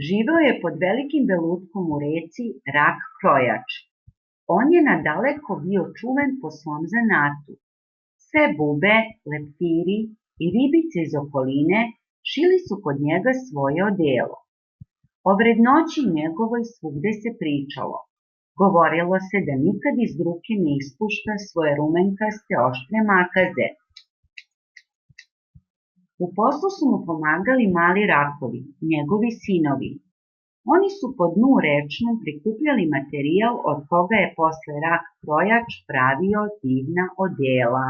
živeo je pod velikim belutkom u reci Rak Krojač. On je nadaleko bio čuven po svom zanatu. Sve bube, leptiri i ribice iz okoline šili su kod njega svoje odelo. O vrednoći njegovoj svugde se pričalo. Govorilo se da nikad iz ruke ne ispušta svoje rumenkaste oštre makaze. U poslu su mu pomagali mali rakovi, njegovi sinovi. Oni su po dnu rečnom prikupljali materijal od koga je posle Rak Krojač pravio divna odela.